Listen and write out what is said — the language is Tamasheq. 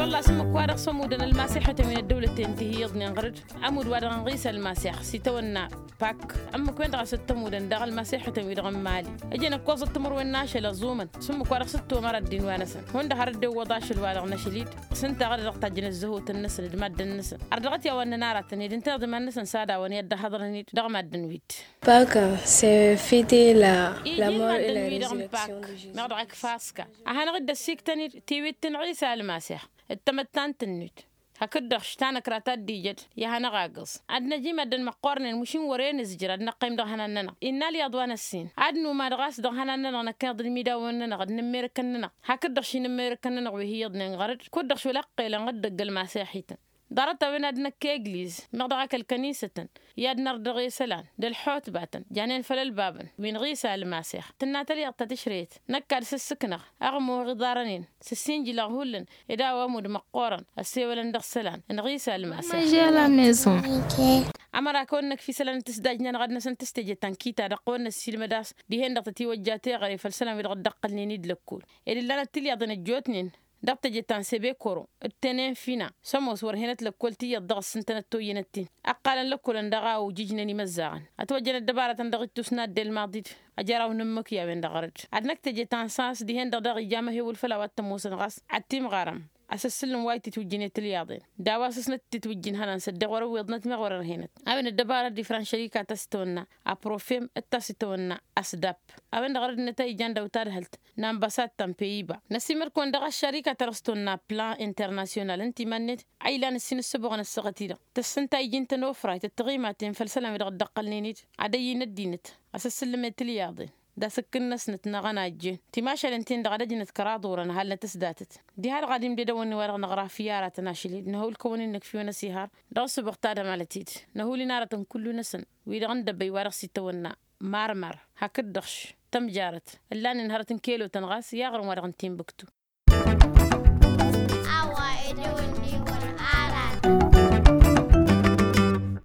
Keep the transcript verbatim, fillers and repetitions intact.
Ăllas ǝmmǝk-wa-dăɣ s-ămudăn ălmasiḥătăn wi n-ăddăwlăten ti hi-iyyăḍnen ɣăr-dd. Ămudd-wa-dăɣ n-ɣisa ălmasiḥ s-itawănna pak. Ǝmmǝk-wen-dăɣ a-s t-ămudăn daɣ ălmasiḥătăn-wi-dăɣ n-imali. Ǝjăn ǝkkoẓăt timǝrwen n-ašăl ăẓumăn s-ǝmmǝk-wa-dăɣ s-dd-tomăra ăddin-wa-năsăn. Hundăɣ har dd-iwwăḍ ašăl-wa-dăɣ n-ašăl-dd. S-ǝnta ɣăr-dd-dăɣ tajjăn ăzzăhotăn-năsăn d-maddăn-năsăn. Ărdăɣăt i-a-wa ǝnnăn aratăn ed ǝnta iḍǝman-năsăn s-ad-a-wăn i-ad-dd-ăhhăḍrăn-dd dăɣ-maddăn-wi-dd. Pak se fite la la mor i-la resurrection de jesus. Meɣ dăɣ-ak faska a hanăɣ-dd-ăssiktăn-dd tiwit n-ɣisa ălmasiḥ d-tamăttant-net. Hakd-dăɣ š-tanăkra ta dd-ijăd i-ad-hanăɣ-agǝẓ ad-năj i-maddăn măqqoornen mušin wăren ǝzjǝr ad-năqqăym dăɣ-ihănan-nănăɣ innă ălyaḍ wa n-ăssin. Ad-numad ɣas dăɣ-ihănan-nănăɣ năkkeḍ d-imidawăn-nănăɣ d-inǝmmerǝkăn-nănăɣ. Hakd-dăɣ š-inǝmmerǝkăn-nănăɣ wi hi-iyyăḍnen ɣăr-dd kud-dăɣ š-wăla ǝqqelăn ɣǝddǝg ălmaseḥităn. Ḍarăt-a-wen ad-năkk egliz meɣ dăɣ-ak ălkănisătăn i-ad-nărdăɣ i-isălan d-ălḥutbatăn janen făll-ălbabăn wi n-ɣisa ălmasex. Tǝnna tălyaḍt ta tǝšrăyăt năkk ad-sǝssǝknăɣ ăɣmoɣ iḍarăn-in s-ǝssinjǝlăɣ hullan. Ed a-wa ămudd măqqoorăn ăssewălăn dăɣ-isălan n-ɣisa ălmasex. Ămăra kăwăn-năkf isălan n-tǝsdajnen ɣad-năsăn tǝsteje ta n-kita-dăɣ kăwăn-năssiilmăd a-s dihen-dăɣ tătiwăjja teɣăre făll-isălan wi dăɣ-dd-ăqqălnen-dd lăkkol. Ed ǝllanăt tilyaḍen ăjjootnen dăɣ-teje ta n-sebekoro d-tenen fina. S-ămoos wăr henăt lăkkol tiyyăḍ dăɣ-ǝssǝntănăt toyyănăt-in. Ăqqalăn lăkkolăn dăɣ-a ojǝjnen imăzzaɣăn ătwăjjăn ăddăbarătăn dăɣ-ittus n-adde ălmaḍi-dd. Ăjăraw n-ǝmmǝk i-a-wen-dăɣ ɣăr-dd ad-năkk teje ta n-sas dihen-dăɣ daɣ ija amăhewǝl făll-a-wa t-ămoosăn ɣas ad-t-imɣarăm. Asǝssǝl n-wa ititwǝjjǝn i-tilyaḍen d-a-wa s-ǝsnăt ititwǝjjǝn ihănan s-ăddeɣ wăr-ăwweḍnăt meɣ wăr-ărhenăt. A-wen ăddăbarăt d-ifran šărika ta s-itawănna aprofem d-ta s-itawănna asdap. A-wen-dăɣ ɣăr-dd-năt a ijan dăw-tadhălt n-ambăsad ta n-peyiba. Năsimăr-kăwăn dăɣ-ăššărika ta dăɣ-s tawănna plan internasyonal ǝnta iman-net a ilan ǝssin ǝssǝboɣăn ăssaɣăt-i-dăɣ tǝssǝnta iji n-tănofrayt d-tiɣimaten făll-isălan wi dăɣ-dd-ăqqălnen-dd ad-ăyy n-ăddinăt. Asǝssǝllǝm i-tilyaḍen d-asǝkkǝn-năsnăt n-aɣănajjen timašalen-ten-dăɣ ad-ăjnăt kăraḍ orăn ăhalnăt s-datăt. Diha-dăɣ ad-imded awănni-wa-dăɣ năɣra fiyy aratăn ašăl-dd năhul kăwăn-in-nǝkf iwăn ăsihar. Dăɣ-ǝssǝboɣ tadămalăt-dd năhul-in aratăn kullu-năsăn wi-dăɣ n-dăbăy wa dăɣ-s itawănna marmar hakd-dăɣ š-tămjarăt ǝllanen hărăt n-kelotăn ɣas i-aɣrǝm wa dăɣ-n timbuktu.